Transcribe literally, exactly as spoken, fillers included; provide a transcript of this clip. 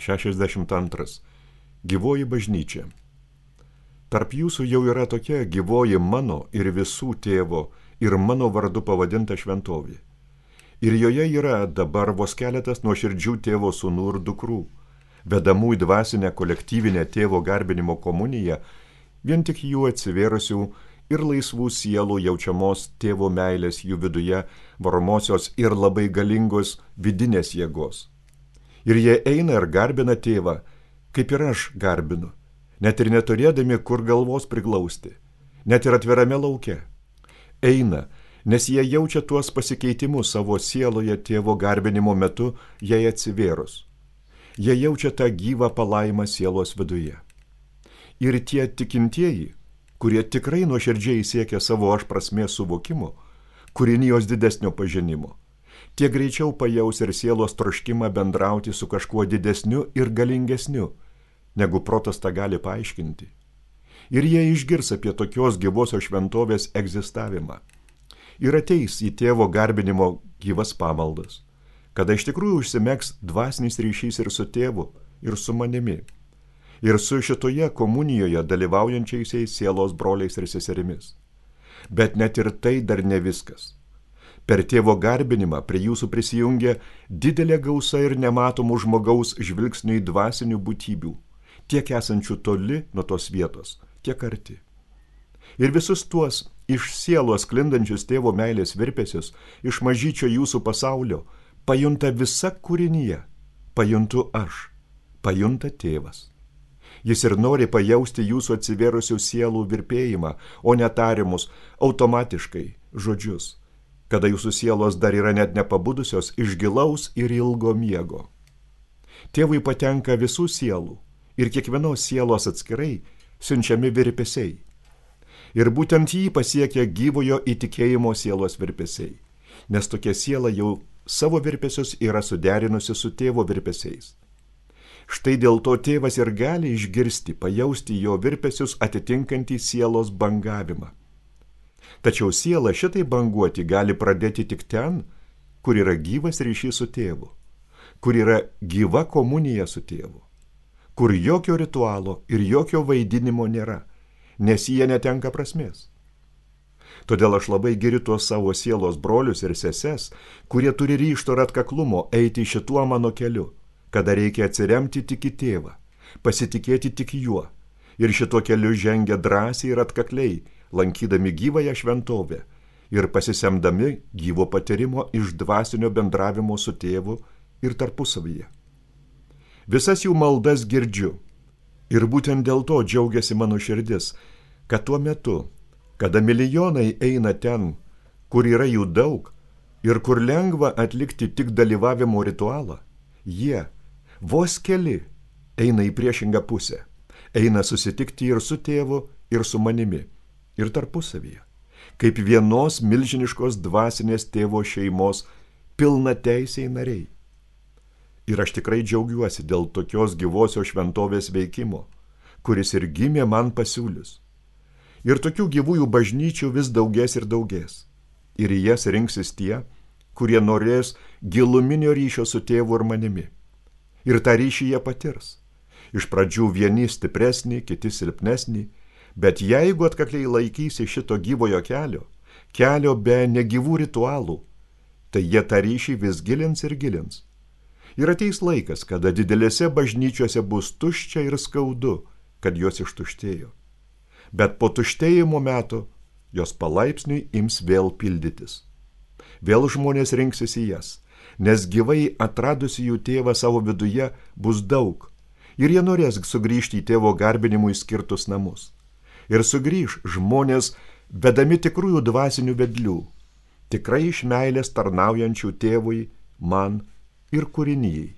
šešiasdešimt antras. Gyvoji bažnyčia. Tarp jūsų jau yra tokia gyvoji mano ir visų tėvo ir mano vardu pavadinta šventovė. Ir joje yra dabar vos keletas nuoširdžių tėvo sūnų ir dukrų, vedamų į dvasinę kolektyvinę tėvo garbinimo komuniją, vien tik jų atsivėrusių ir laisvų sielų jaučiamos tėvo meilės jų viduje, varomosios ir labai galingos vidinės jėgos. Ir jie eina ir garbina tėvą, kaip ir aš garbinu, net ir neturėdami kur galvos priglausti, net ir atvirame lauke. Eina, nes jie jaučia tuos pasikeitimus savo sieloje tėvo garbinimo metu, jai atsivėrus. Jie jaučia tą gyvą palaimą sielos viduje. Ir tie tikintieji, kurie tikrai nuoširdžiai siekia savo aš prasmės suvokimo, kūrinijos didesnio pažinimo, tie greičiau pajaus ir sielos troškimą bendrauti su kažkuo didesniu ir galingesniu, negu protas tą gali paaiškinti. Ir jie išgirs apie tokios gyvosios šventovės egzistavimą. Ir ateis į tėvo garbinimo gyvas pamaldas, kada iš tikrųjų užsimegs dvasinis ryšys ir su tėvu, ir su manimi, ir su šitoje komunijoje dalyvaujančiaisiais sielos broliais ir seserimis. Bet net ir tai dar ne viskas. Per tėvo garbinimą prie jūsų prisijungia didelė gausa ir nematomų žmogaus žvilgsnių į dvasinių būtybių, tiek esančių toli nuo tos vietos, tiek arti. Ir visus tuos iš sielos sklindančius tėvo meilės virpesius, iš mažyčio jūsų pasaulio, pajunta visa kūrinyje, pajuntu aš, pajunta tėvas. Jis ir nori pajausti jūsų atsivėrusių sielų virpėjimą, o netarimus automatiškai žodžius, kada jūsų sielos dar yra net nepabudusios iš gilaus ir ilgo miego. Tėvui patenka visų sielų ir kiekvienos sielos atskirai siunčiami virpesiai. Ir būtent jį pasiekia gyvojo įtikėjimo sielos virpesiai, nes tokia siela jau savo virpesius yra suderinusi su tėvo virpesiais. Štai dėl to tėvas ir gali išgirsti, pajausti jo virpesius atitinkantį sielos bangavimą. Tačiau siela šitai banguoti gali pradėti tik ten, kur yra gyvas ryšys su tėvu, kur yra gyva komunija su tėvu, kur jokio ritualo ir jokio vaidinimo nėra, nes jie netenka prasmės. Todėl aš labai giriu tuos savo sielos brolius ir seses, kurie turi ryžto ir atkaklumo eiti šituo mano keliu, kada reikia atsiremti tik į tėvą, pasitikėti tik juo, ir šituo keliu žengia drąsiai ir atkakliai, lankydami gyvąją šventovę ir pasisemdami gyvo patyrimo iš dvasinio bendravimo su tėvu ir tarpusavyje. Visas jų maldas girdžiu, ir būtent dėl to džiaugiasi mano širdis, kad tuo metu, kada milijonai eina ten, kur yra jų daug ir kur lengva atlikti tik dalyvavimo ritualą, jie, vos keli, eina į priešingą pusę, eina susitikti ir su tėvu, ir su manimi, ir tarpusavyje, kaip vienos milžiniškos dvasinės tėvo šeimos pilnateisiai nariai. Ir aš tikrai džiaugiuosi dėl tokios gyvosios šventovės veikimo, kuris ir gimė man pasiūlius. Ir tokių gyvųjų bažnyčių vis daugės ir daugės. Ir į jas rinksis tie, kurie norės giluminio ryšio su tėvu ir manimi. Ir tą ryšį jie patirs. Iš pradžių vieni stipresnį, kiti silpnesnį, bet jeigu atkakliai laikysi šito gyvojo kelio, kelio be negyvų ritualų, tai jie tą ryšį vis gilins ir gilins. Ir ateis laikas, kada didelėse bažnyčiose bus tuščia ir skaudu, kad jos ištuštėjo. Bet po tuštėjimo metų jos palaipsniui ims vėl pildytis. Vėl žmonės rinksis į jas, nes gyvai atradusi jų tėvą savo viduje bus daug, ir jie norės sugrįžti į tėvo garbinimui skirtus namus. Ir sugrįž žmonės vedami tikrųjų dvasinių vedlių, tikrai iš meilės tarnaujančių tėvui, man ir kūrinijai.